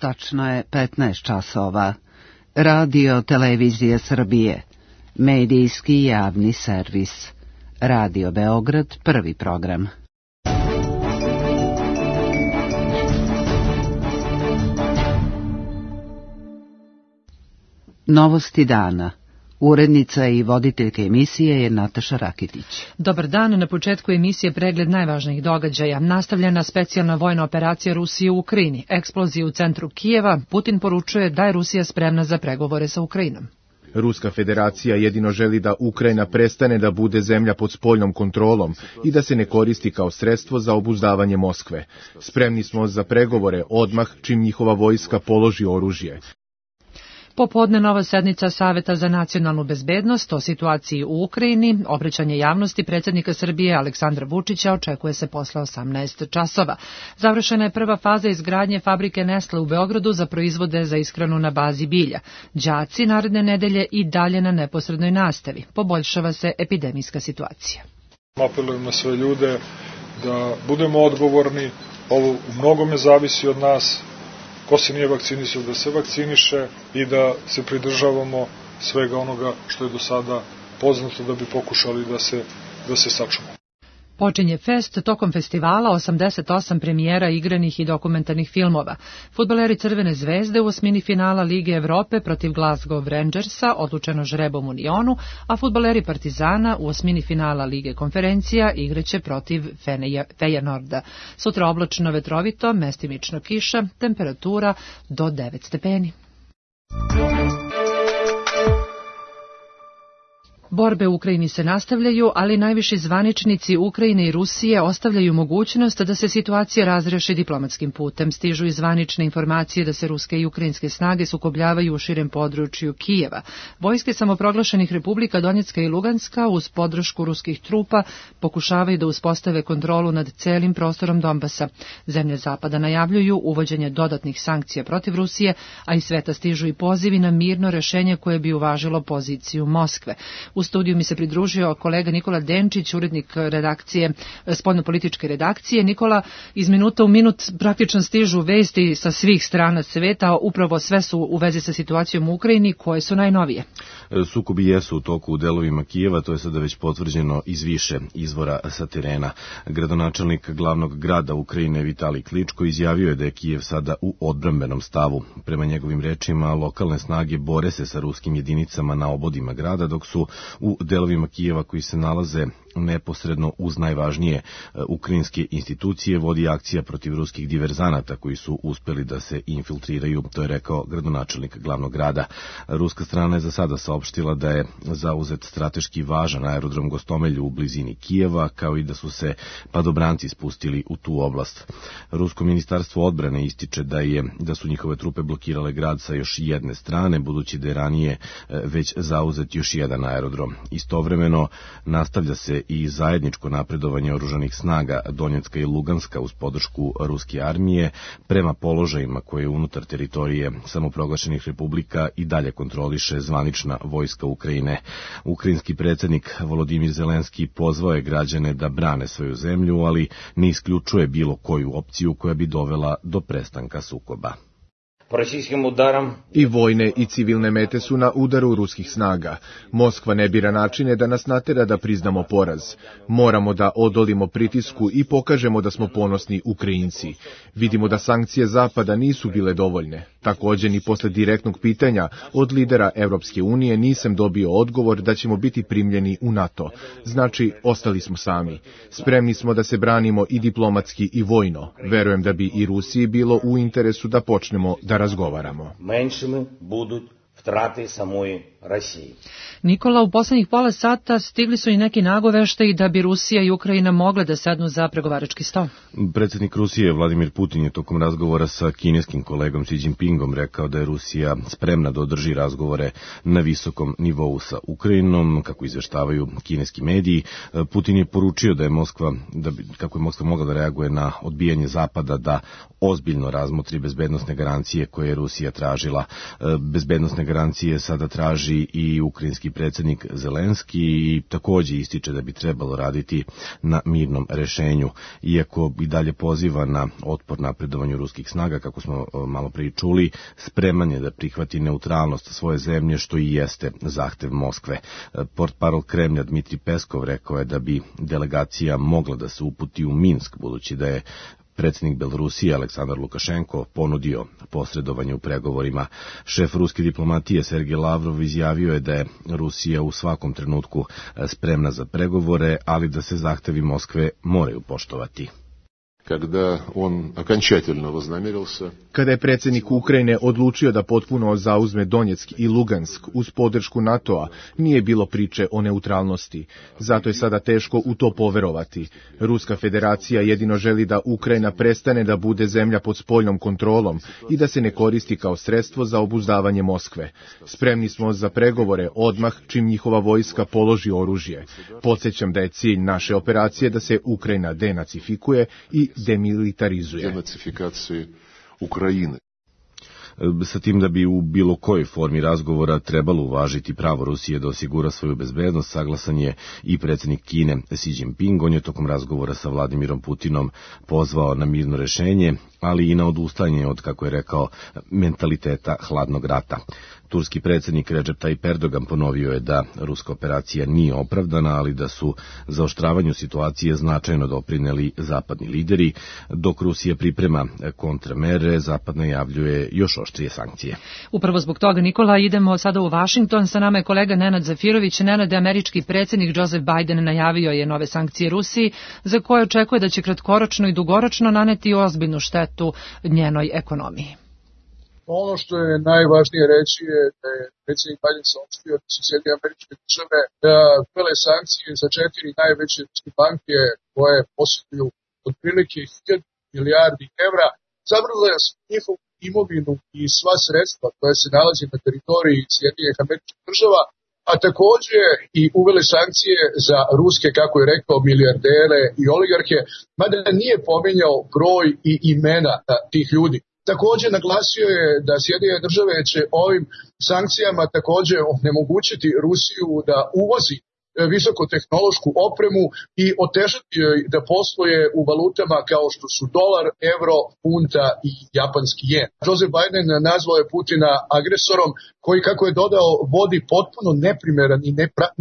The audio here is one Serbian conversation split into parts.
Tačno je 15 časova. Radio Televizije Srbije. Medijski javni servis. Radio Beograd, prvi program. Novosti dana. Urednica i voditeljka emisije je Nataša Rakitić. Dobar dan, na početku emisije pregled najvažnijih događaja. Nastavljena specijalna vojna operacija Rusije u Ukrajini. Eksplozija u centru Kijeva. Putin poručuje da je Rusija spremna za pregovore sa Ukrajinom. Ruska federacija jedino želi da Ukrajina prestane da bude zemlja pod spoljnom kontrolom i da se ne koristi kao sredstvo za obuzdavanje Moskve. Spremni smo za pregovore odmah čim njihova vojska položi oružje. Popodne nova sednica Saveta za nacionalnu bezbednost o situaciji u Ukrajini. Obraćanje javnosti predsjednika Srbije Aleksandra Vučića očekuje se posle 18 časova. Završena je prva faza izgradnje fabrike Nestle u Beogradu za proizvode za ishranu na bazi bilja. Đaci naredne nedelje i dalje na neposrednoj nastavi. Poboljšava se epidemijska situacija. Apelujem na sve ljude da budemo odgovorni. Ovo u mnogome zavisi od nas. Ko se nije vakcinisao da se vakciniše i da se pridržavamo svega onoga što je do sada poznato da bi pokušali da se sačuvamo. Počinje fest, tokom festivala 88 premijera igranih i dokumentarnih filmova. Fudbaleri Crvene zvezde u osmini finala Lige Evrope protiv Glasgow Rangersa odlučeno žrebom u Lionu, a fudbaleri Partizana u osmini finala Lige konferencija igraće protiv Feyenoorda. Sutra oblačno vetrovito, mestimično kiša, temperatura do 9 stepeni. Borbe u Ukrajini se nastavljaju, ali najviši zvaničnici Ukrajine i Rusije ostavljaju mogućnost da se situacija razreši diplomatskim putem. Stižu i zvanične informacije da se ruske i ukrajinske snage sukobljavaju u širem području Kijeva. Vojske samoproglašenih republika Donjecka i Luganska uz podršku ruskih trupa pokušavaju da uspostave kontrolu nad celim prostorom Donbasa. Zemlje Zapada najavljuju uvođenje dodatnih sankcija protiv Rusije, a iz sveta stižu i pozivi na mirno rešenje koje bi uvažilo poziciju Moskve. U studiju mi se pridružio kolega Nikola Denčić, urednik redakcije, spoljnopolitičke redakcije. Nikola, iz minuta u minut praktično stižu vesti sa svih strana sveta, upravo sve su u vezi sa situacijom u Ukrajini, koje su najnovije. Sukobi jesu u toku u delovima Kijeva, to je sada već potvrđeno iz više izvora sa terena. Gradonačelnik glavnog grada Ukrajine Vitalij Kličko izjavio je da je Kijev sada u odbrambenom stavu. Prema njegovim rečima, lokalne snage bore se sa ruskim jedinicama na obodima grada, dok su u delovima Kijeva koji se nalaze neposredno uz najvažnije ukrajinske institucije vodi akcija protiv ruskih diverzanata koji su uspeli da se infiltriraju, to je rekao gradonačelnik glavnog grada. Ruska strana je za sada saopštila da je zauzet strateški važan aerodrom Gostomelju u blizini Kijeva, kao i da su se padobranci spustili u tu oblast. Rusko ministarstvo odbrane ističe da su njihove trupe blokirale grad sa još jedne strane, budući da je ranije već zauzet još jedan aerodrom. Istovremeno nastavlja se i zajedničko napredovanje oružanih snaga Donjecka i Luganska uz podršku ruske armije prema položajima koje unutar teritorije samoproglašenih republika i dalje kontroliše zvanična vojska Ukrajine. Ukrajinski predsjednik Volodimir Zelenski pozvao je građane da brane svoju zemlju, ali ne isključuje bilo koju opciju koja bi dovela do prestanka sukoba. I vojne i civilne mete su na udaru ruskih snaga. Moskva ne bira načine da nas natera da priznamo poraz. Moramo da odolimo pritisku i pokažemo da smo ponosni Ukrajinci. Vidimo da sankcije Zapada nisu bile dovoljne. Također, ni posle direktnog pitanja od lidera Evropske unije nisam dobio odgovor da ćemo biti primljeni u NATO. Znači, ostali smo sami. Spremni smo da se branimo i diplomatski i vojno. Verujem da bi i Rusiji bilo u interesu da počnemo da razgovaramo. Menšimi budu vtrate samoj Rusiji. Nikola, u poslednjih pola sata stigli su i neki nagoveštaji da bi Rusija i Ukrajina mogle da sednu za pregovarački stol. Predsjednik Rusije Vladimir Putin je tokom razgovora sa kineskim kolegom Xi Jinpingom rekao da je Rusija spremna da održi razgovore na visokom nivou sa Ukrajinom, kako izveštavaju kineski mediji. Putin je poručio da je kako je Moskva mogla da reaguje na odbijanje Zapada da ozbiljno razmotri bezbednosne garancije koje je Rusija tražila. Bezbednosne garancije sada traži traži i ukrajinski predsjednik Zelenski i takođe ističe da bi trebalo raditi na mirnom rešenju, iako i dalje poziva na otpor napredovanju ruskih snaga, kako smo malo prije čuli, spreman je da prihvati neutralnost svoje zemlje, što i jeste zahtev Moskve. Portparol Kremlja Dmitri Peskov rekao je da bi delegacija mogla da se uputi u Minsk, budući da je predsjednik Belorusije Aleksandar Lukašenko ponudio posredovanje u pregovorima. Šef ruske diplomatije Sergej Lavrov izjavio je da je Rusija u svakom trenutku spremna za pregovore, ali da se zahtevi Moskve moraju poštovati. Kada je predsjednik Ukrajine odlučio da potpuno zauzme Donjeck i Lugansk uz podršku NATO-a, nije bilo priče o neutralnosti. Zato je sada teško u to poverovati. Ruska federacija jedino želi da Ukrajina prestane da bude zemlja pod spoljnom kontrolom i da se ne koristi kao sredstvo za obuzdavanje Moskve. Spremni smo za pregovore odmah čim njihova vojska položi oružje. Podsjećam da je cilj naše operacije da se Ukrajina denacifikuje i demilitarizuje. Denacifikacije Ukrajine. Sa tim da bi u bilo kojoj formi razgovora trebalo uvažiti pravo Rusije da osigura svoju bezbednost, saglasan je i predsjednik Kine Xi Jinping. On je tokom razgovora sa Vladimirom Putinom pozvao na mirno rešenje, ali i na odustajanje od, kako je rekao, mentaliteta hladnog rata. Turski predsjednik Recep Tayyip Erdogan ponovio je da ruska operacija nije opravdana, ali da su zaoštravanju situacije značajno doprineli zapadni lideri. Dok Rusija priprema kontramere, Zapad najavljuje još oštrije sankcije. Upravo zbog toga, Nikola, idemo sada u Vašington. Sa nama je kolega Nenad Zafirović. Nenad, američki predsjednik Joseph Biden najavio je nove sankcije Rusiji, za koje očekuje da će kratkoročno i dugoročno naneti ozbiljnu štetu njenoj ekonomiji. Ono što je najvažnije reći je da je predsjednik Biden saopštio da su Sjedinjene Američke Države da uvele sankcije za 4 najveće ruske banke koje posjeduju otprilike 1000 milijardi evra, zabranile su njihovu imovinu i sva sredstva koja se nalazi na teritoriji Sjedinjenih Američkih Država, a također i uvele sankcije za ruske, kako je rekao, milijardere i oligarhe, mada nije pominjao broj i imena tih ljudi. Također naglasio je da Sjedinjene Države će ovim sankcijama također onemogućiti Rusiju da uvozi visokotehnološku opremu i otežati joj da posluje u valutama kao što su dolar, euro, funta i japanski jen. Joseph Biden nazvao je Putina agresorom koji, kako je dodao, vodi potpuno neprimeran i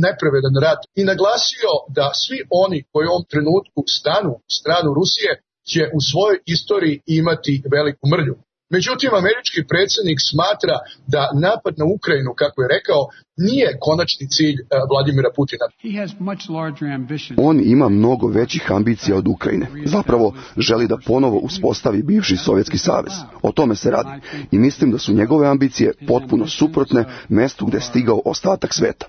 nepravedan rat i naglasio da svi oni koji u ovom trenutku stanu u stranu Rusije će u svojoj istoriji imati veliku mrlju. Međutim, američki predsjednik smatra da napad na Ukrajinu, kako je rekao, nije konačni cilj Vladimira Putina. On ima mnogo većih ambicija od Ukrajine. Zapravo želi da ponovo uspostavi bivši Sovjetski savez. O tome se radi. I mislim da su njegove ambicije potpuno suprotne mestu gde je stigao ostatak sveta.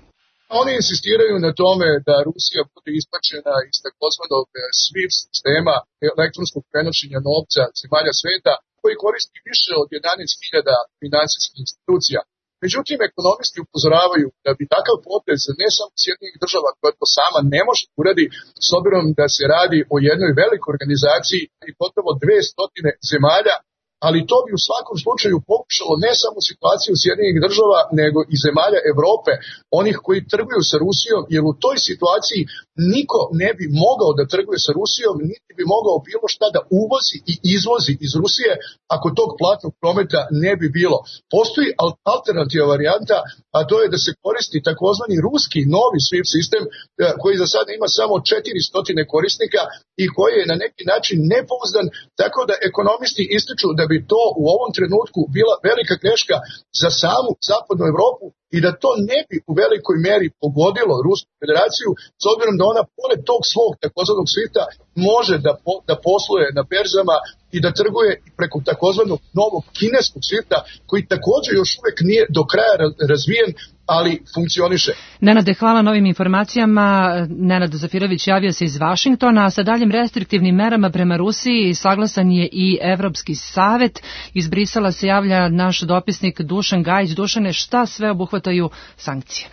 Oni insistiraju na tome da Rusija bude isplaćena iz takozvanog SWIFT sistema elektronskog prenošenja novca zemalja sveta, koji koristi više od 11.000 finansijskih institucija. Međutim, ekonomisti upozoravaju da bi takav potez ne samo Sjedinjenih Država, koja to sama ne može uradi, s obzirom da se radi o jednoj velikoj organizaciji i gotovo 200 zemalja, ali to bi u svakom slučaju pokušalo ne samo situaciju Sjedinjenih Država, nego i zemalja Evrope, onih koji trguju sa Rusijom, jer u toj situaciji niko ne bi mogao da trguje sa Rusijom, niti bi mogao bilo šta da uvozi i izvozi iz Rusije ako tog platnog prometa ne bi bilo. Postoji alternativa varijanta, a to je da se koristi takozvani ruski novi SWIFT sistem koji za sada ima samo 400 korisnika i koji je na neki način nepouzdan, tako da ekonomisti ističu da bi to u ovom trenutku bila velika greška za samu zapadnu Evropu i da to ne bi u velikoj meri pogodilo Rusku federaciju, s obzirom da ona pored tog svog takozvanog svita može da posluje na berzama i da trguje preko takozvanog novog kineskog svita, koji također još uvijek nije do kraja razvijen, ali funkcioniše. Nenade, hvala na ovim informacijama. Nenad Zafirović javio se iz Vašingtona, a sa daljim restriktivnim merama prema Rusiji saglasan je i Evropski savet. Iz Brisela se javlja naš dopisnik Dušan Gajić. Dušane, šta sve obuhvataju sankcije?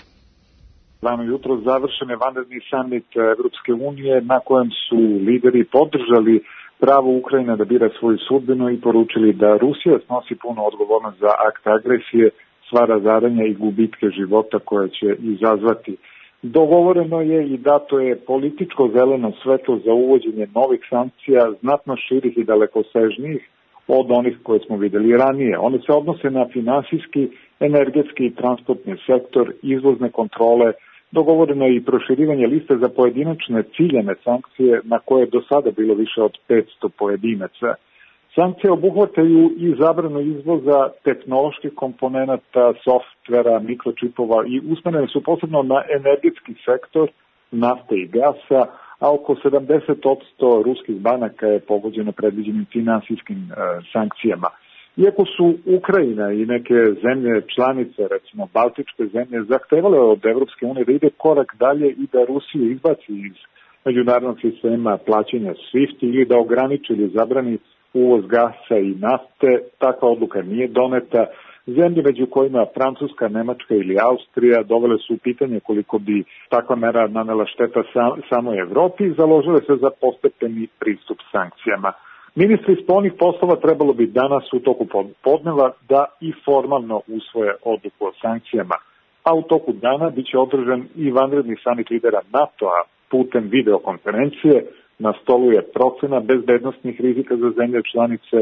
Rano jutro završen je vanredni samit Evropske unije na kojem su lideri podržali pravo Ukrajine da bira svoju sudbinu i poručili da Rusija snosi punu odgovornost za akt agresije sva razaranja i gubitke života koje će izazvati. Dogovoreno je i dato je političko zeleno svetlo za uvođenje novih sankcija, znatno širih i dalekosežnijih od onih koje smo videli ranije. One se odnose na finansijski, energetski i transportni sektor, izvozne kontrole. Dogovoreno je i proširivanje liste za pojedinačne ciljane sankcije na koje je do sada bilo više od 500 pojedinaca. Sankcije obuhvataju i zabranu izvoza tehnoloških komponenata, softvera, mikročipova i usmerene su posebno na energetski sektor, nafte i gasa, a oko 70% ruskih banaka je pogođeno predviđenim finansijskim sankcijama. Iako su Ukrajina i neke zemlje članice, recimo Baltičke zemlje, zahtevale od Evropske unije da ide korak dalje i da Rusiju izbaci iz međunarodnog sistema plaćanja SWIFT ili da ograniči ili zabrani uvoz gasa i nafte, takva odluka nije doneta. Zemlje među kojima Francuska, Nemačka ili Austrija dovele su u pitanje koliko bi takva mera nanela šteta samoj Evropi i založile se za postepeni pristup sankcijama. Ministri spoljnih poslova trebalo bi danas u toku podneva da i formalno usvoje odluku o sankcijama, a u toku dana biće održan i vanredni samit lidera NATO-a putem videokonferencije. Na stolu je procena bezbednosnih rizika za zemlje članice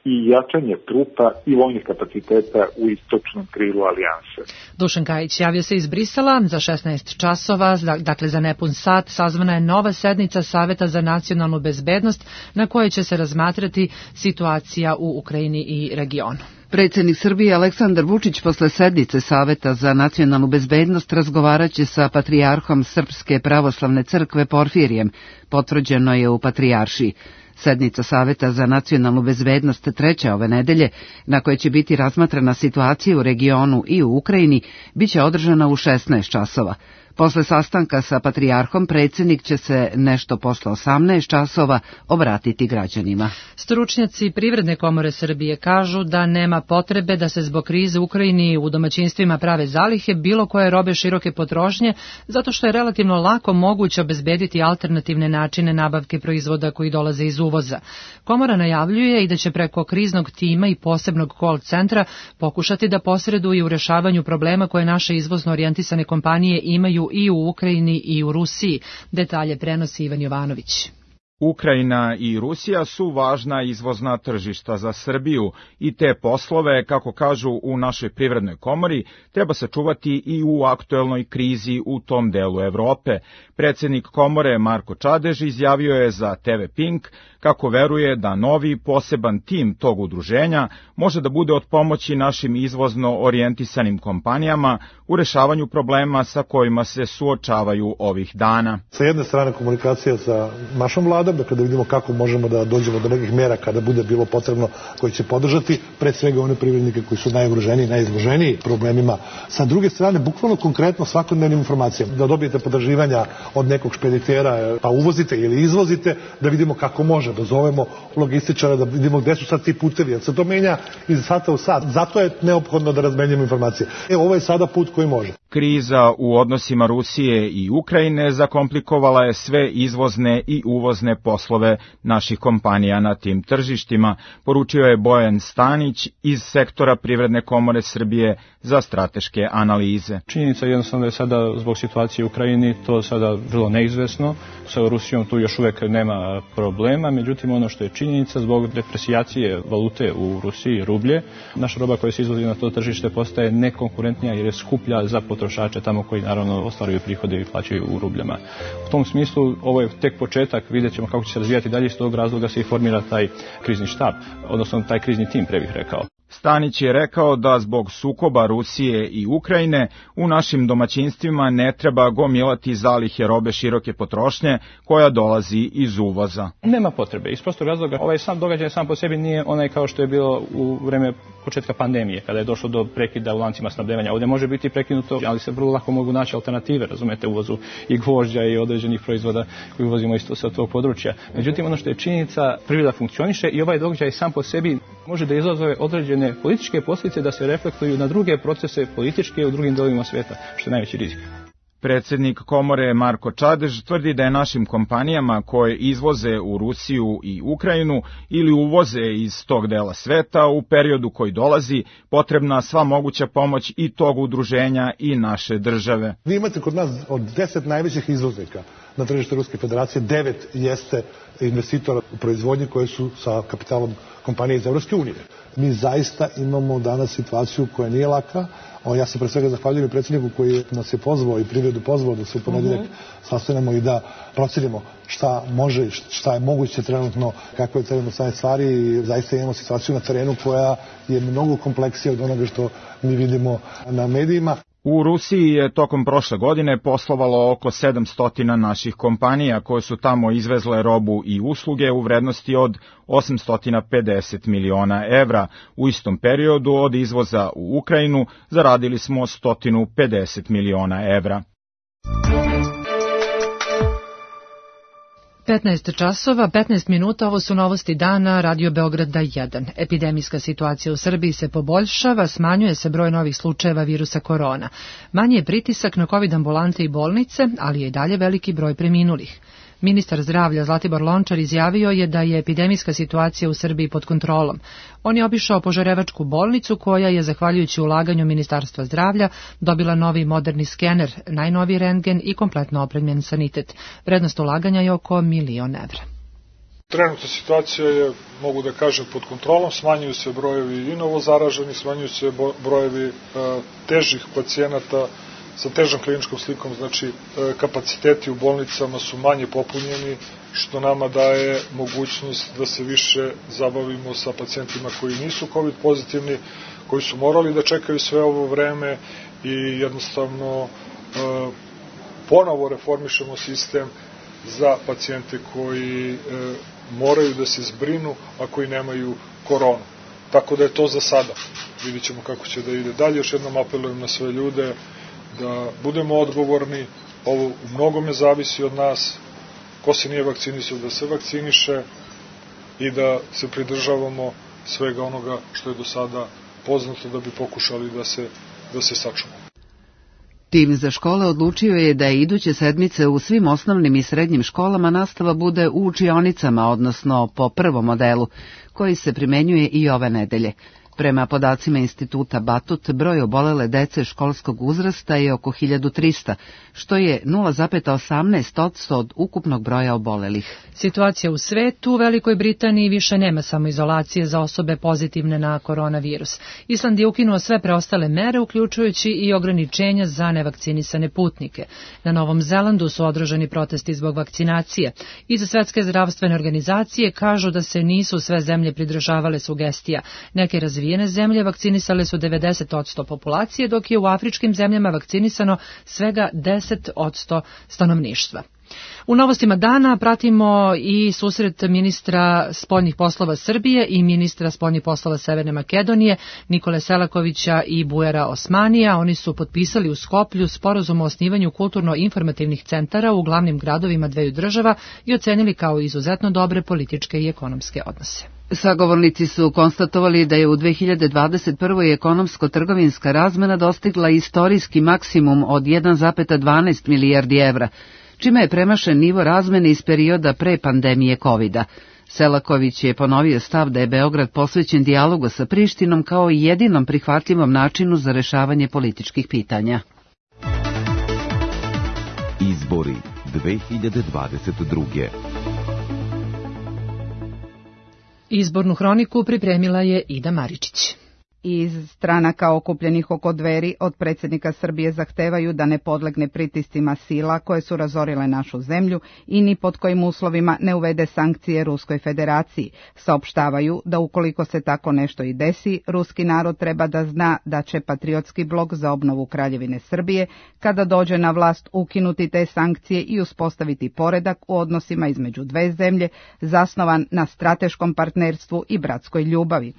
i jačanje trupa i vojnih kapaciteta u istočnom krilu alijanse. Dušan Kajić javio se iz Brisela za 16 časova, dakle za nepun sat, sazvana je nova sednica Saveta za nacionalnu bezbednost na kojoj će se razmatrati situacija u Ukrajini i regionu. Predsjednik Srbije Aleksandar Vučić posle sednice Saveta za nacionalnu bezbednost razgovaraće sa patrijarhom Srpske pravoslavne crkve Porfirijem, potvrđeno je u Patrijaršiji. Sednica Saveta za nacionalnu bezbednost treća ove nedelje, na kojoj će biti razmatrana situacija u regionu i u Ukrajini, biće održana u 16 časova. Posle sastanka sa patrijarhom predsjednik će se nešto posle 18 časova obratiti građanima. Stručnjaci Privredne komore Srbije kažu da nema potrebe da se zbog krize u Ukrajini u domaćinstvima prave zalihe bilo koje robe široke potrošnje, zato što je relativno lako moguće obezbediti alternativne načine nabavke proizvoda koji dolaze iz uvoza. Komora najavljuje i da će preko kriznog tima i posebnog call centra pokušati da posreduju u rešavanju problema koje naše izvozno orijentisane kompanije imaju i u Ukrajini i u Rusiji. Detalje prenosi Ivan Jovanović. Ukrajina i Rusija su važna izvozna tržišta za Srbiju i te poslove, kako kažu u našoj privrednoj komori, treba se čuvati i u aktuelnoj krizi u tom delu Evrope. Predsjednik komore Marko Čadež izjavio je za TV Pink kako veruje da novi poseban tim tog udruženja može da bude od pomoći našim izvozno orijentisanim kompanijama u rešavanju problema sa kojima se suočavaju ovih dana. Sa jedne strane komunikacija sa našom vladom, dakle da vidimo kako možemo da dođemo do nekih mera kada bude bilo potrebno koji će podržati pre svega one privrednike koji su najugroženiji, najizloženiji problemima. Sa druge strane, bukvalno konkretno svakodnevnim informacijama, da dobijete potraživanja od nekog špeditera, pa uvozite ili izvozite, da vidimo kako može, da zovemo logističara, da vidimo gde su sad ti putevi, jer se to menja iz sata u sat. Zato je neophodno da razmenjujemo informacije. Ovo je sada put koji može. Kriza u odnosima Rusije i Ukrajine zakomplikovala je sve izvozne i uvozne poslove naših kompanija na tim tržištima, poručio je Bojan Stanić iz sektora Privredne komore Srbije za strateške analize. Činjenica je jednostavno da je sada zbog situacije u Ukrajini to sada vrlo neizvesno. Sa Rusijom tu još uvek nema problema, međutim ono što je činjenica zbog depresijacije valute u Rusiji, rublje, naša roba koja se izvozi na to tržište postaje nekonkurentnija jer je skuplja za potrošače tamo koji naravno ostvaruju prihode i plaćaju u rubljama. U tom smislu ovo je tek početak, vidjet ćemo kako će se razvijati dalje, iz tog razloga se i formira taj krizni štab, odnosno taj krizni tim, pre bih rekao. Stanić je rekao da zbog sukoba Rusije i Ukrajine u našim domaćinstvima ne treba gomilati zalihe robe široke potrošnje koja dolazi iz uvoza. Nema potrebe, iz prostog razloga ovaj sam događaj sam po sebi nije onaj kao što je bilo u vreme početka pandemije, kada je došlo do prekida u lancima snabdevanja. Ovdje može biti prekinuto, ali se vrlo lako mogu naći alternative, razumete, uvozu i gvožđa i određenih proizvoda koji uvozimo isto sa tog područja. Međutim, ono što je činjenica, privreda funkcioniše i ovaj događaj sam po sebi može da izazove određene političke posljedice da se reflektuju na druge procese političke u drugim delovima svijeta, što je najveći rizik. Predsednik komore Marko Čadež tvrdi da je našim kompanijama koje izvoze u Rusiju i Ukrajinu ili uvoze iz tog dela sveta u periodu koji dolazi potrebna sva moguća pomoć i tog udruženja i naše države. Vi imate kod nas od 10 najvećih izvoznika na tržište Ruske federacije, 9 jeste investitora u proizvodnji koji su sa kapitalom kompanije iz Evropske unije. Mi zaista imamo danas situaciju koja nije laka. Ja se pre svega zahvaljujem predsjedniku koji nas je pozvao i privredu pozvao da se u ponedeljak sastanemo i da procenimo šta može, šta je moguće trenutno, kako je trenutno stanje stvari i zaista imamo situaciju na terenu koja je mnogo kompleksija od onoga što mi vidimo na medijima. U Rusiji je tokom prošle godine poslovalo oko 700 naših kompanija koje su tamo izvezle robu i usluge u vrednosti od 850 miliona evra. U istom periodu od izvoza u Ukrajinu zaradili smo 150 miliona evra. 15 časova, 15 minuta, ovo su novosti dana, Radio Beograda 1. Epidemijska situacija u Srbiji se poboljšava, smanjuje se broj novih slučajeva virusa korona. Manji je pritisak na COVID ambulante i bolnice, ali je i dalje veliki broj preminulih. Ministar zdravlja Zlatibor Lončar izjavio je da je epidemijska situacija u Srbiji pod kontrolom. On je obišao Požarevačku bolnicu koja je, zahvaljujući ulaganju Ministarstva zdravlja, dobila novi moderni skener, najnoviji rentgen i kompletno opremljen sanitet. Vrednost ulaganja je oko 1 milion evra. Trenutna situacija je, mogu da kažem, pod kontrolom, smanjuju se brojevi i novozaraženih, smanjuju se brojevi težih pacijenata sa težom kliničkom slikom, znači kapaciteti u bolnicama su manje popunjeni, što nama daje mogućnost da se više zabavimo sa pacijentima koji nisu COVID pozitivni, koji su morali da čekaju sve ovo vreme i jednostavno ponovo reformišemo sistem za pacijente koji moraju da se zbrinu, a koji nemaju koronu. Tako da je to za sada. Vidjet ćemo kako će da ide dalje. Još jednom apelujem na sve ljude da budemo odgovorni, ovo u mnogome zavisi od nas, ko se nije vakcinisao da se vakciniše i da se pridržavamo svega onoga što je do sada poznato da bi pokušali da se sačuvamo. Tim za škole odlučio je da iduće sedmice u svim osnovnim i srednjim školama nastava bude u učionicama, odnosno po prvom modelu, koji se primenjuje i ove nedelje. Prema podacima instituta Batut, broj obolele dece školskog uzrasta je oko 1300, što je 0,18% od ukupnog broja obolelih. Situacija u svetu, u Velikoj Britaniji više nema samoizolacije za osobe pozitivne na koronavirus. Island je ukinuo sve preostale mere, uključujući i ograničenja za nevakcinisane putnike. Na Novom Zelandu su održani protesti zbog vakcinacije. Iz Svetske zdravstvene organizacije kažu da se nisu sve zemlje pridržavale sugestija. Neke razvijene zemlje vakcinisale su 90% populacije, dok je u afričkim zemljama vakcinisano svega 10% stanovništva. U novostima dana pratimo i susret ministra spoljnih poslova Srbije i ministra spoljnih poslova Severne Makedonije, Nikole Selakovića i Bujara Osmanija. Oni su potpisali u Skoplju sporazum o osnivanju kulturno-informativnih centara u glavnim gradovima dveju država i ocenili kao izuzetno dobre političke i ekonomske odnose. Sagovornici su konstatovali da je u 2021. ekonomsko-trgovinska razmena dostigla istorijski maksimum od 1,12 milijardi evra, čime je premašen nivo razmene iz perioda pre pandemije COVID-a. Selaković je ponovio stav da je Beograd posvećen dijalogu sa Prištinom kao jedinom prihvatljivom načinu za rešavanje političkih pitanja. Izbori 2022. Izbornu hroniku pripremila je Ida Maričić. Iz stranaka okupljenih oko Dveri od predsjednika Srbije zahtevaju da ne podlegne pritiscima sila koje su razorile našu zemlju i ni pod kojim uslovima ne uvede sankcije Ruskoj federaciji. Saopštavaju da ukoliko se tako nešto i desi, ruski narod treba da zna da će Patriotski blok za obnovu Kraljevine Srbije, kada dođe na vlast, ukinuti te sankcije i uspostaviti poredak u odnosima između dve zemlje, zasnovan na strateškom partnerstvu i bratskoj ljubavi.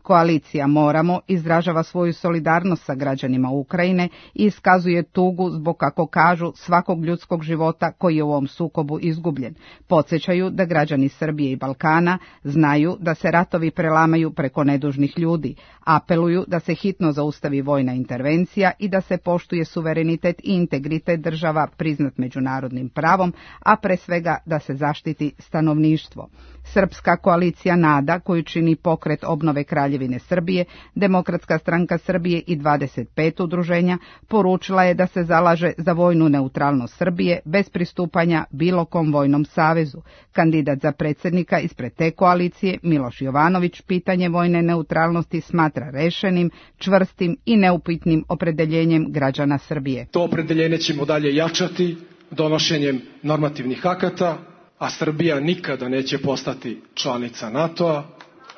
Koalicija Moramo izražava svoju solidarnost sa građanima Ukrajine i iskazuje tugu zbog, kako kažu, svakog ljudskog života koji je u ovom sukobu izgubljen. Podsjećaju da građani Srbije i Balkana znaju da se ratovi prelamaju preko nedužnih ljudi. Apeluju da se hitno zaustavi vojna intervencija i da se poštuje suverenitet i integritet država priznat međunarodnim pravom, a pre svega da se zaštiti stanovništvo. Srpska koalicija NADA, koju čini Pokret obnove Kraljevine Srbije, Demokratska stranka Srbije i 25 udruženja, poručila je da se zalaže za vojnu neutralnost Srbije bez pristupanja bilo kom vojnom savezu. Kandidat za predsjednika ispred te koalicije, Miloš Jovanović, pitanje vojne neutralnosti smatra rešenim, čvrstim i neupitnim opredeljenjem građana Srbije. To opredeljenje ćemo dalje jačati donošenjem normativnih akata, a Srbija nikada neće postati članica NATO-a,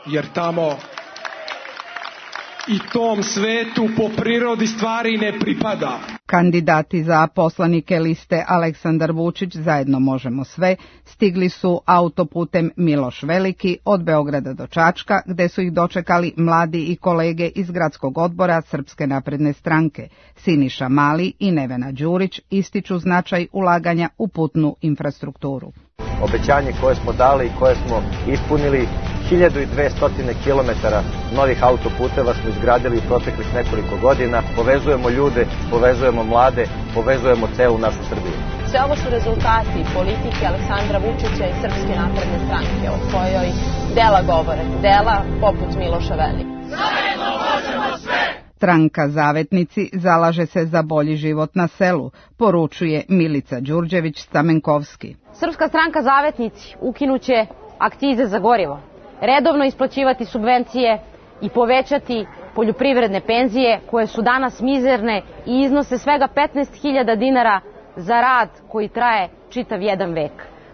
jer tamo i tom svetu po prirodi stvari ne pripada. Kandidati za poslanike liste Aleksandar Vučić, Zajedno možemo sve, stigli su autoputem Miloš Veliki od Beograda do Čačka, gde su ih dočekali mladi i kolege iz gradskog odbora Srpske napredne stranke. Siniša Mali i Nevena Đurić ističu značaj ulaganja u putnu infrastrukturu. Obećanje koje smo dali i koje smo ispunili, 1200 km novih autoputeva smo izgradili u proteklih nekoliko godina. Povezujemo ljude, povezujemo mlade, povezujemo celu našu Srbiju. Sve ovo su rezultati politike Aleksandra Vučića i Srpske napredne stranke, o kojoj dela govore, dela poput Miloša Velika. Zajedno možemo sve! Stranka Zavetnici zalaže se za bolji život na selu, poručuje Milica Đurđević-Stamenkovski. Srpska stranka Zavetnici ukinuće akcize za gorivo, redovno isplaćivati subvencije i povećati poljoprivredne penzije koje su danas mizerne i iznose svega 15.000 dinara za rad koji traje čitav jedan vek.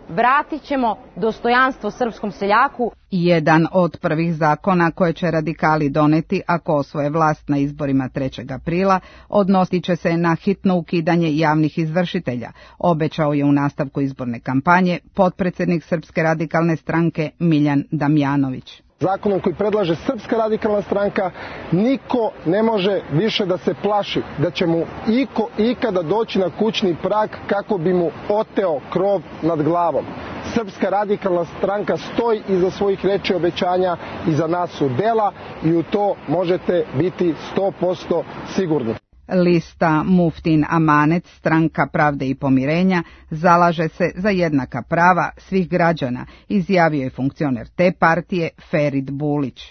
Vratit ćemo dostojanstvo srpskom seljaku. Jedan od prvih zakona koje će radikali doneti ako osvoje vlast na izborima 3. aprila odnosit će se na hitno ukidanje javnih izvršitelja, obećao je u nastavku izborne kampanje potpredsjednik Srpske radikalne stranke Miljan Damjanović. Zakonom koji predlaže Srpska radikalna stranka niko ne može više da se plaši da će mu iko ikada doći na kućni prag kako bi mu oteo krov nad glavom. Srpska radikalna stranka stoji iza svojih reči i obećanja, iza nas su dela i u to možete biti 100% sigurni. Lista Muftin Amanet, Stranka pravde i pomirenja, zalaže se za jednaka prava svih građana, izjavio je funkcioner te partije Ferid Bulić.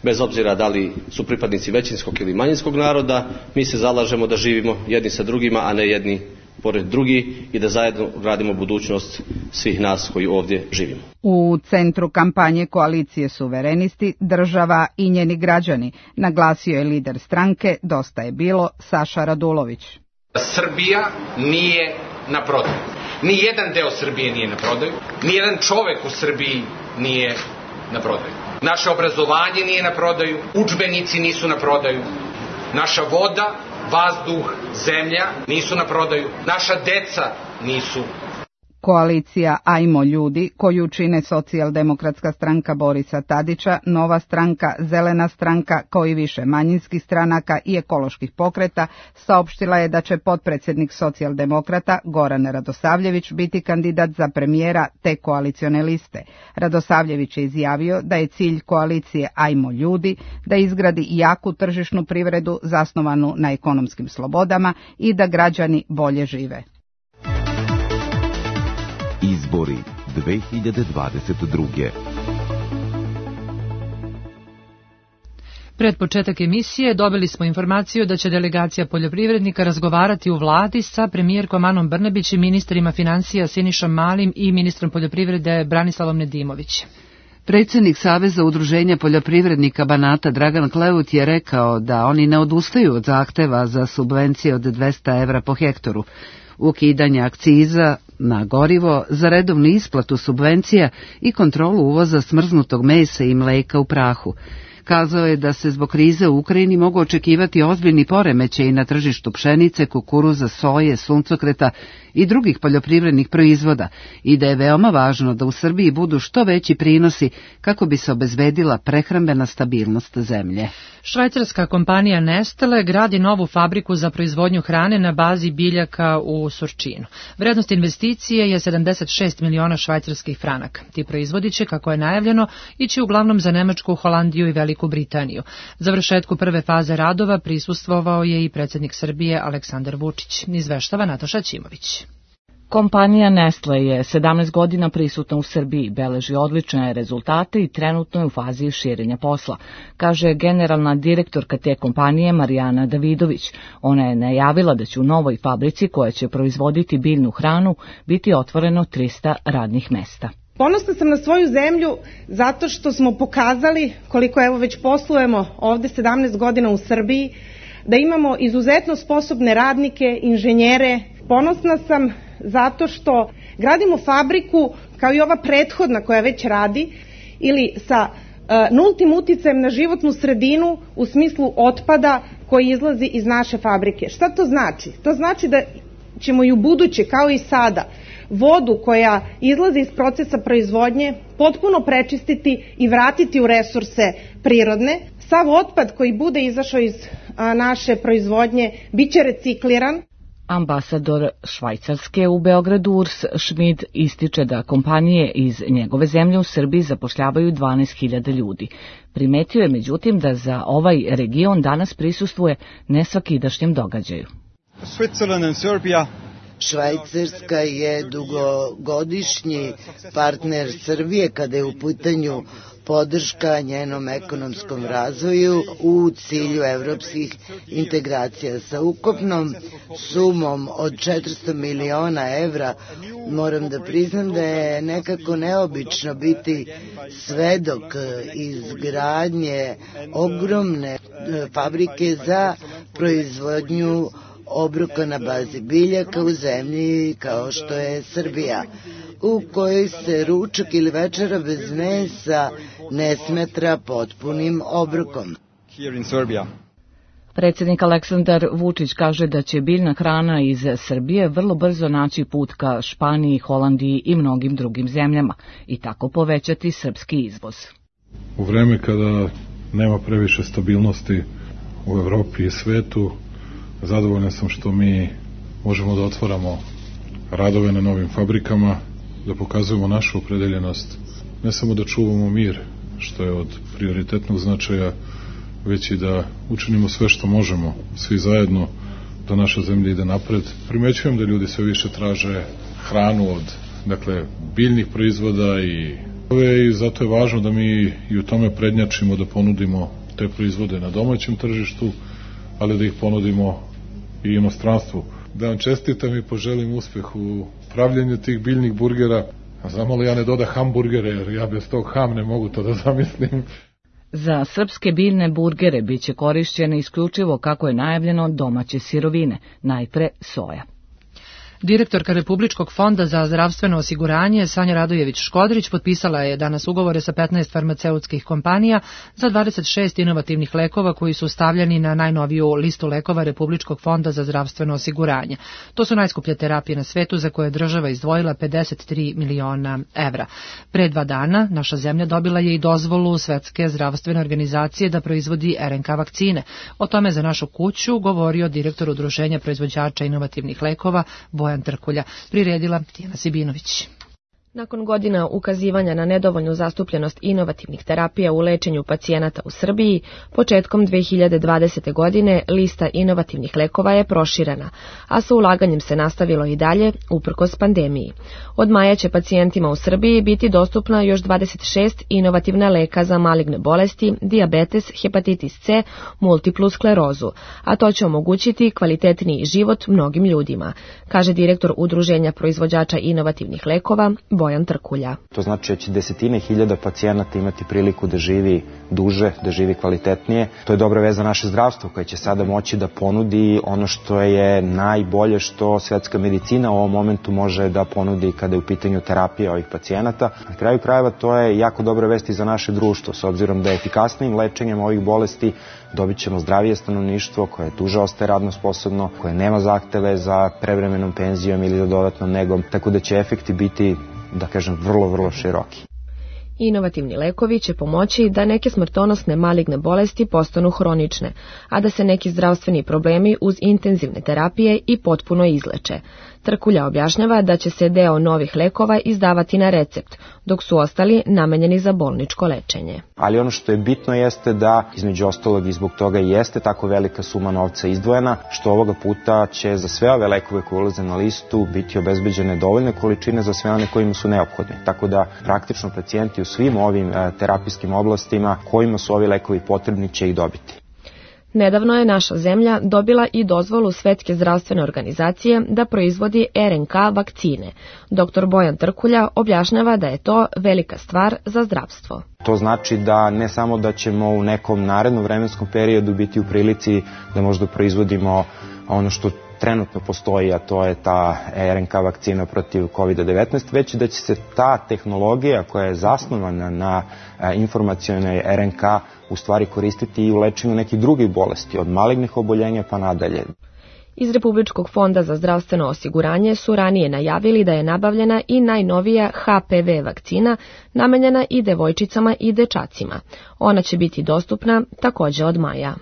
Bez obzira da li su pripadnici većinskog ili manjinskog naroda, mi se zalažemo da živimo jedni sa drugima, a ne jedni pored drugi i da zajedno gradimo budućnost svih nas koji ovdje živimo. U centru kampanje koalicije Suverenisti, država i njeni građani, naglasio je lider stranke Dosta je bilo Saša Radulović. Srbija nije na prodaju. Nijedan deo Srbije nije na prodaju. Nijedan čovek u Srbiji nije na prodaju. Naše obrazovanje nije na prodaju, udžbenici nisu na prodaju, naša voda, vazduh, zemlja nisu na prodaju, naša deca nisu. Koalicija Ajmo ljudi, koju čine Socijaldemokratska stranka Borisa Tadića, Nova stranka, Zelena stranka, kao i više manjinskih stranaka i ekoloških pokreta, saopštila je da će potpredsjednik Socijaldemokrata Goran Radosavljević biti kandidat za premijera te koalicione liste. Radosavljević je izjavio da je cilj koalicije Ajmo ljudi da izgradi jaku tržišnu privredu zasnovanu na ekonomskim slobodama i da građani bolje žive. Izbori 2022. Pred početak emisije dobili smo informaciju da će delegacija poljoprivrednika razgovarati u vladi sa premijerkom Anom Brnabić i ministrima financija Sinišom Malim i ministrom poljoprivrede Branislavom Nedimović. Predsjednik Saveza udruženja poljoprivrednika Banata Dragan Kleut je rekao da oni ne odustaju od zahteva za subvencije od 200 evra po hektaru. ukidanje akciza na gorivo, za redovnu isplatu subvencija i kontrolu uvoza smrznutog mesa i mleka u prahu. Kazao je da se zbog krize u Ukrajini mogu očekivati ozbiljni poremećaji na tržištu pšenice, kukuruza, soje, suncokreta i drugih poljoprivrednih proizvoda i da je veoma važno da u Srbiji budu što veći prinosi kako bi se obezbedila prehrambena stabilnost zemlje. Švajcarska kompanija Nestle gradi novu fabriku za proizvodnju hrane na bazi biljaka u Surčinu. Vrednost investicije je 76 miliona švajcarskih franaka. Ti proizvodi će, kako je najavljeno, ići uglavnom za Nemačku, Holandiju i Veliku Britaniju. Završetku prve faze radova prisustvovao je i predsjednik Srbije Aleksandar Vučić. Izveštava Nataša Ćimović. Kompanija Nestle je 17 godina prisutna u Srbiji, beleži odlične rezultate i trenutno je u fazi širenja posla, kaže generalna direktorka te kompanije Marijana Davidović. Ona je najavila da će u novoj fabrici koja će proizvoditi biljnu hranu biti otvoreno 300 radnih mesta. Ponosna sam na svoju zemlju zato što smo pokazali, koliko evo već poslujemo ovde 17 godina u Srbiji, da imamo izuzetno sposobne radnike, inženjere. Ponosna sam zato što gradimo fabriku kao i ova prethodna koja već radi ili sa nultim uticajem na životnu sredinu u smislu otpada koji izlazi iz naše fabrike. Šta to znači? To znači da ćemo i u buduće, kao i sada, vodu koja izlazi iz procesa proizvodnje potpuno prečistiti i vratiti u resurse prirodne. Sav otpad koji bude izašao iz naše proizvodnje biće recikliran. Ambasador Švajcarske u Beogradu Urs Schmid ističe da kompanije iz njegove zemlje u Srbiji zapošljavaju 12.000 ljudi. Primetio je međutim da za ovaj region danas prisustvuje nesvakidašnjem događaju. Švajcarska je dugogodišnji partner Srbije kada je u pitanju podrška njenom ekonomskom razvoju u cilju evropskih integracija. Sa ukupnom sumom od 400 miliona evra moram da priznam da je nekako neobično biti svedok izgradnje ogromne fabrike za proizvodnju obroka na bazi biljaka u zemlji kao što je Srbija, u kojoj se ručak ili večera bez mesa ne smatra potpunim obrokom. Predsjednik Aleksandar Vučić kaže da će biljna hrana iz Srbije vrlo brzo naći put ka Španiji, Holandiji i mnogim drugim zemljama i tako povećati srpski izvoz. U vreme kada nema previše stabilnosti u Evropi i svetu, zadovoljan sam što mi možemo da otvaramo radove na novim fabrikama, da pokazujemo našu opredeljenost, ne samo da čuvamo mir, što je od prioritetnog značaja, već i da učinimo sve što možemo, svi zajedno, da naša zemlja ide napred. Primećujem da ljudi sve više traže hranu od, biljnih proizvoda i zato je važno da mi i u tome prednjačimo, da ponudimo te proizvode na domaćem tržištu, ali da ih ponudimo i inostranstvu. Da vam čestitam i poželim uspeh u pravljenju tih biljnih burgera. A znamo li ja ne doda hamburgere, jer ja bez tog ham ne mogu to da zamislim. Za srpske biljne burgere biće korišćene isključivo, kako je najavljeno, domaće sirovine, najpre soja. Direktorka Republičkog fonda za zdravstveno osiguranje Sanja Radojević-Škodrić potpisala je danas ugovore sa 15 farmaceutskih kompanija za 26 inovativnih lekova koji su stavljeni na najnoviju listu lekova Republičkog fonda za zdravstveno osiguranje. To su najskuplje terapije na svetu za koje je država izdvojila 53 miliona evra. Pre 2 dana naša zemlja dobila je i dozvolu Svetske zdravstvene organizacije da proizvodi RNK vakcine. O tome za našu kuću govorio direktor Udruženja proizvođača inovativnih lekova Bojan Trkulja, priredila Tijana Sibinović. Nakon godina ukazivanja na nedovoljnu zastupljenost inovativnih terapija u lečenju pacijenata u Srbiji, početkom 2020. godine lista inovativnih lekova je proširena, a sa ulaganjem se nastavilo i dalje, uprkos pandemiji. Od maja će pacijentima u Srbiji biti dostupna još 26 inovativna leka za maligne bolesti, dijabetes, hepatitis C, multiplu sklerozu, a to će omogućiti kvalitetniji život mnogim ljudima, kaže direktor Udruženja proizvođača inovativnih lekova Bojan Trkulja. To znači da će desetine hiljada pacijenata imati priliku da živi duže, da živi kvalitetnije. To je dobra veza za naše zdravstvo koje će sada moći da ponudi ono što je najbolje što svetska medicina u ovom momentu može da ponudi kada je u pitanju terapija ovih pacijenata. Na kraju krajeva to je jako dobra vest i za naše društvo, s obzirom da je efikasnijim lečenjem ovih bolesti dobit ćemo zdravije stanovništvo koje duže ostaje radno sposobno, koje nema zahteve za prevremenom penzijom ili za dodatnom negom, tako da će efekti biti, da kažem, vrlo široki. Inovativni lekovi će pomoći da neke smrtonosne maligne bolesti postanu hronične, a da se neki zdravstveni problemi uz intenzivne terapije i potpuno izleče. Trkulja objašnjava da će se deo novih lekova izdavati na recept, dok su ostali namenjeni za bolničko lečenje. Ali ono što je bitno jeste da, između ostalog i zbog toga jeste tako velika suma novca izdvojena, što ovoga puta će za sve ove lekove koje ulaze na listu biti obezbeđene dovoljne količine za sve one kojima su neophodne. Tako da praktično pacijenti u svim ovim terapijskim oblastima kojima su ovi lekovi potrebni će ih dobiti. Nedavno je naša zemlja dobila i dozvolu Svetske zdravstvene organizacije da proizvodi RNK vakcine. Dr. Bojan Trkulja objašnjava da je to velika stvar za zdravstvo. To znači da ne samo da ćemo u nekom narednom vremenskom periodu biti u prilici da možda proizvodimo ono što trenutno postoji, a to je ta RNK vakcina protiv COVID-19, već da će se ta tehnologija koja je zasnovana na informacionoj RNK u stvari koristiti i u lečenju nekih drugih bolesti, od malignih oboljenja pa nadalje. Iz Republičkog fonda za zdravstveno osiguranje su ranije najavili da je nabavljena i najnovija HPV vakcina, namenjena i devojčicama i dečacima. Ona će biti dostupna također od maja.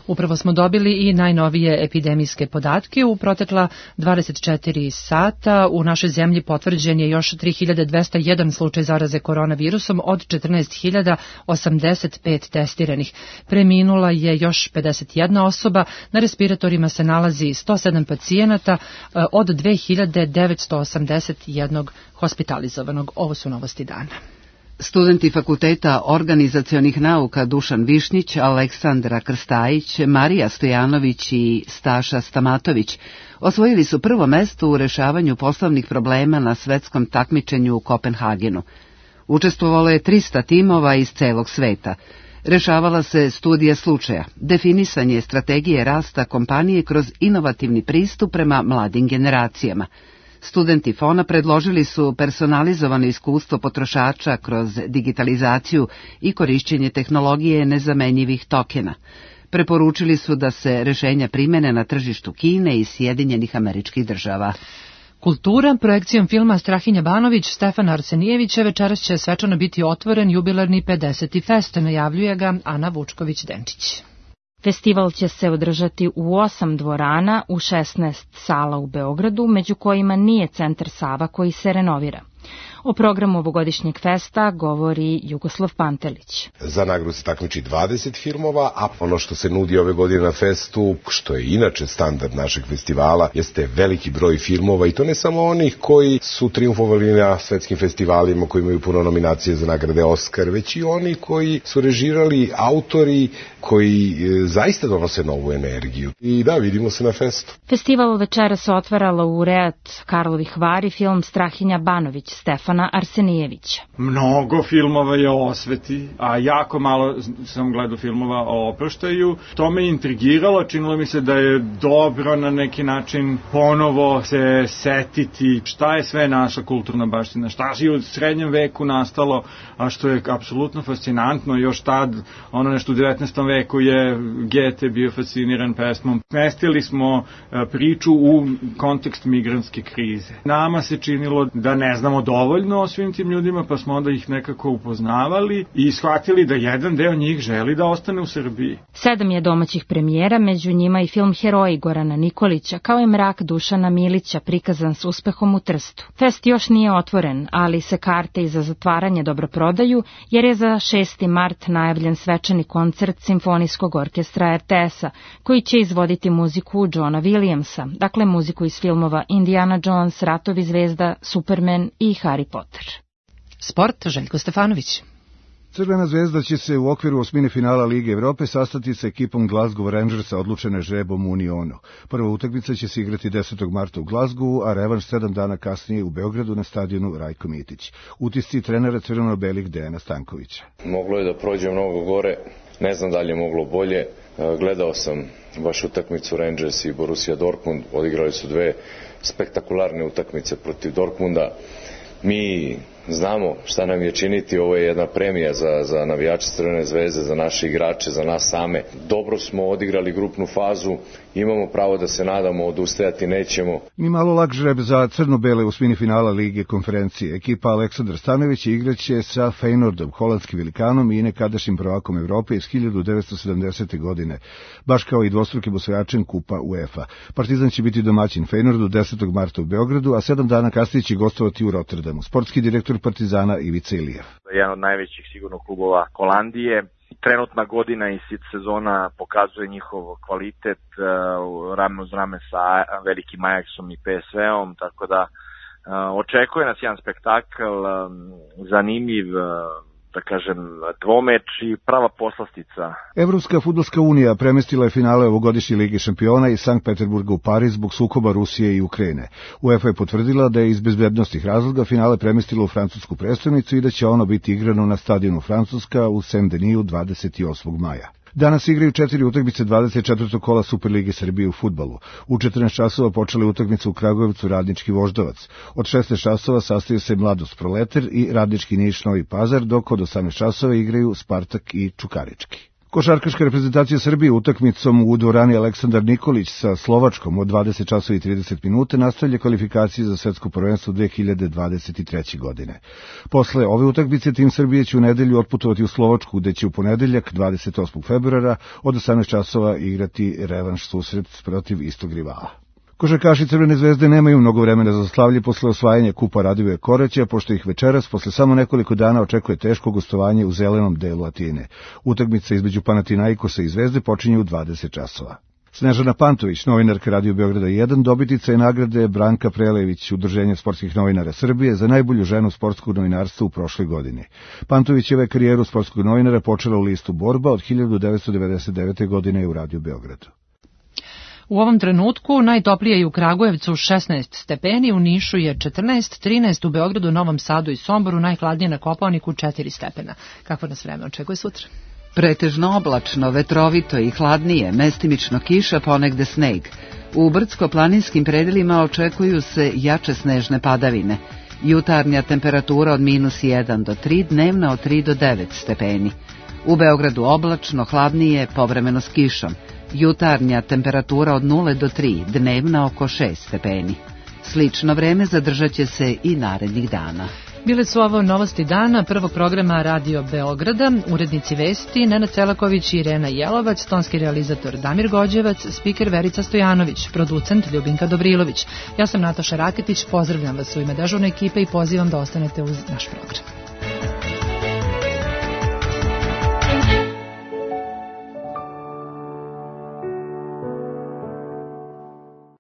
Upravo smo dobili i najnovije epidemijske podatke. U protekla 24 sata u našoj zemlji potvrđen je još 3201 slučaj zaraze koronavirusom od 14.085 testiranih. Preminula je još 51 osoba, na respiratorima se nalazi 107 pacijenata od 2981 hospitalizovanog. Ovo su novosti dana. Studenti Fakulteta organizacionih nauka Dušan Višnjić, Aleksandra Krstajić, Marija Stojanović i Staša Stamatović osvojili su prvo mesto u rešavanju poslovnih problema na svetskom takmičenju u Kopenhagenu. Učestvovalo je 300 timova iz celog sveta. Rešavala se studija slučaja, definisanje strategije rasta kompanije kroz inovativni pristup prema mladim generacijama. Studenti FON-a predložili su personalizovano iskustvo potrošača kroz digitalizaciju i korišćenje tehnologije nezamenjivih tokena. Preporučili su da se rešenja primene na tržištu Kine i Sjedinjenih Američkih Država. Kultura, projekcijom filma Strahinja Banović, Stefana Arsenijevića, večeras će svečano biti otvoren jubilarni 50. fest, najavljuje ga Ana Vučković-Denčić. Festival će se održati u 8 dvorana u 16 sala u Beogradu, među kojima nije Centar Sava koji se renovira. O programu ovogodišnjeg festa govori Jugoslav Pantelić. Za nagradu se takmiči 20 filmova, a ono što se nudi ove godine na festu, što je inače standard našeg festivala, jeste veliki broj filmova i to ne samo onih koji su triumfovali na svetskim festivalima, koji imaju puno nominacije za nagrade Oskar, već i oni koji su režirali, autori koji zaista donose novu energiju. I da, vidimo se na festu. Festival večera se otvara laureat Karlovih Vari film Strahinja Banović, Stefana Arsenijevića. Mnogo filmova je o osveti, a jako malo sam gledao filmova o oproštaju. To me intrigiralo, činilo mi se da je dobro na neki način ponovo se setiti šta je sve naša kulturna baština, šta je u srednjem veku nastalo, a što je apsolutno fascinantno. Još tad, ono nešto u 19. veku je Goethe bio fasciniran pesmom. Mestili smo priču u kontekst migrantske krize. Nama se činilo da ne znamo dovoljno o svim tim ljudima, pa smo onda ih nekako upoznavali i shvatili da jedan deo njih želi da ostane u Srbiji. 7 je domaćih premijera, među njima i film Heroji Gorana Nikolića, kao i Mrak Dušana Milića, prikazan s uspehom u Trstu. Fest još nije otvoren, ali se karte i za zatvaranje dobro prodaju, jer je za 6. mart najavljen svečani koncert Simfonijskog orkestra RTS-a, koji će izvoditi muziku Johna Williamsa, dakle muziku iz filmova Indiana Jones, Ratovi zvezda, Superman i Harry Potter. Sport, Željko Stefanović. Crvena zvezda će se u okviru osmine finala Lige Evrope sastati sa ekipom Glasgow Rangersa odlučene žrebom u Unionu. Prva utakmica će se igrati 10. marta u Glasgowu, a revanš 7 dana kasnije u Beogradu na stadionu Rajko Mitić. Utisci trenera crveno-belih Dejana Stankovića. Moglo je da prođe mnogo gore, ne znam da li je moglo bolje. Gledao sam baš utakmicu Rangers i Borussia Dortmund, odigrali su dve spektakularne utakmice protiv Dortmunda. Mi znamo šta nam je činiti, ovo je jedna premija za navijače Crvene zvezde, za naše igrače, za nas same. Dobro smo odigrali grupnu fazu, imamo pravo da se nadamo, odustajati nećemo. Ni malo lak žreb za crno-bele u osmini finala Lige konferencije. Ekipa Aleksandar Stanović igraće sa Feyenoordom, holandskim velikanom i nekadašnjim prvakom Evrope iz 1970. godine, baš kao i dvostrukim osvajačem Kupa UEFA. Partizan će biti domaćin Feyenoordu 10. marta u Beogradu, a 7 dana kasnije će gostovati u Rotterdamu. Sportski direktor Partizana Ivica Ilijev. Jedan od najvećih sigurno klubova Holandije. Trenutna godina i sezona pokazuje njihov kvalitet rame uz rame sa velikim Ajaxom i PSV-om, tako da očekuje nas jedan spektakl, zanimljiv, da kažem, dvomeč i prava poslastica. Evropska fudbalska unija premestila je finale ovogodišnje Lige šampiona iz Sankt Peterburga u Pariz zbog sukoba Rusije i Ukrajine. UEFA je potvrdila da je iz bezbednosnih razloga finale premestila u francusku prestonicu i da će ono biti igrano na stadionu Francuska u Saint-Denis 28. maja. Danas igraju 4 utakmice 24. kola Superlige Srbije u fudbalu. U 14 časova počela je utakmica u Kragujevcu Radnički Voždovac. Od 16 časova sastaju se Mladost Proleter i Radnički Niš Novi Pazar, dok od 18 časova igraju Spartak i Čukarički. Košarkaška reprezentacija Srbije utakmicom u dvorani Aleksandar Nikolić sa Slovačkom od 20 časova i 30 minuta nastavlja kvalifikacije za svetsko prvenstvo 2023. godine. Posle ove utakmice tim Srbije će u nedelju otputovati u Slovačku, gde će u ponedeljak 28. februara od 18 časova igrati revanš susret protiv istog rivala. Košarkaši Crvene zvezde nemaju mnogo vremena za slavlje posle osvajanja Kupa Radivoja Koraća, pošto ih večeras, posle samo nekoliko dana, očekuje teško gostovanje u zelenom delu Atine. Utakmica između Panathinaikosa i Zvezde počinje u 20 časova. Snežana Pantović, novinarka Radio Beograda 1, dobitnica je nagrade Branka Prelević, Udruženja sportskih novinara Srbije, za najbolju ženu sportskog novinarstva u prošloj godini. Pantovićeva je karijeru sportskog novinara počela u listu Borba od 1999. godine u Radio Beogradu. U ovom trenutku najtoplije je u Kragujevcu 16 stepeni, u Nišu je 14, 13 u Beogradu, Novom Sadu i Somboru, najhladnije na Kopaoniku 4 stepena. Kako nas vreme očekuje sutra? Pretežno oblačno, vetrovito i hladnije, mestimično kiša, ponegde sneg. U brdsko-planinskim predelima očekuju se jače snežne padavine. Jutarnja temperatura od -1 do 3, dnevna od 3 do 9 stepeni. U Beogradu oblačno, hladnije, povremeno s kišom. Jutarnja temperatura od 0 do 3, dnevna oko 6 stepeni. Slično vreme zadržat će se i narednih dana. Bile su ovo novosti dana prvog programa Radio Beograda, urednici vesti Nenad Celaković i Irena Jelovac, tonski realizator Damir Gođevac, spiker Verica Stojanović, producent Ljubinka Dobrilović. Ja sam Nataša Raketić, pozdravljam vas u ime dežurne ekipe i pozivam da ostanete uz naš program.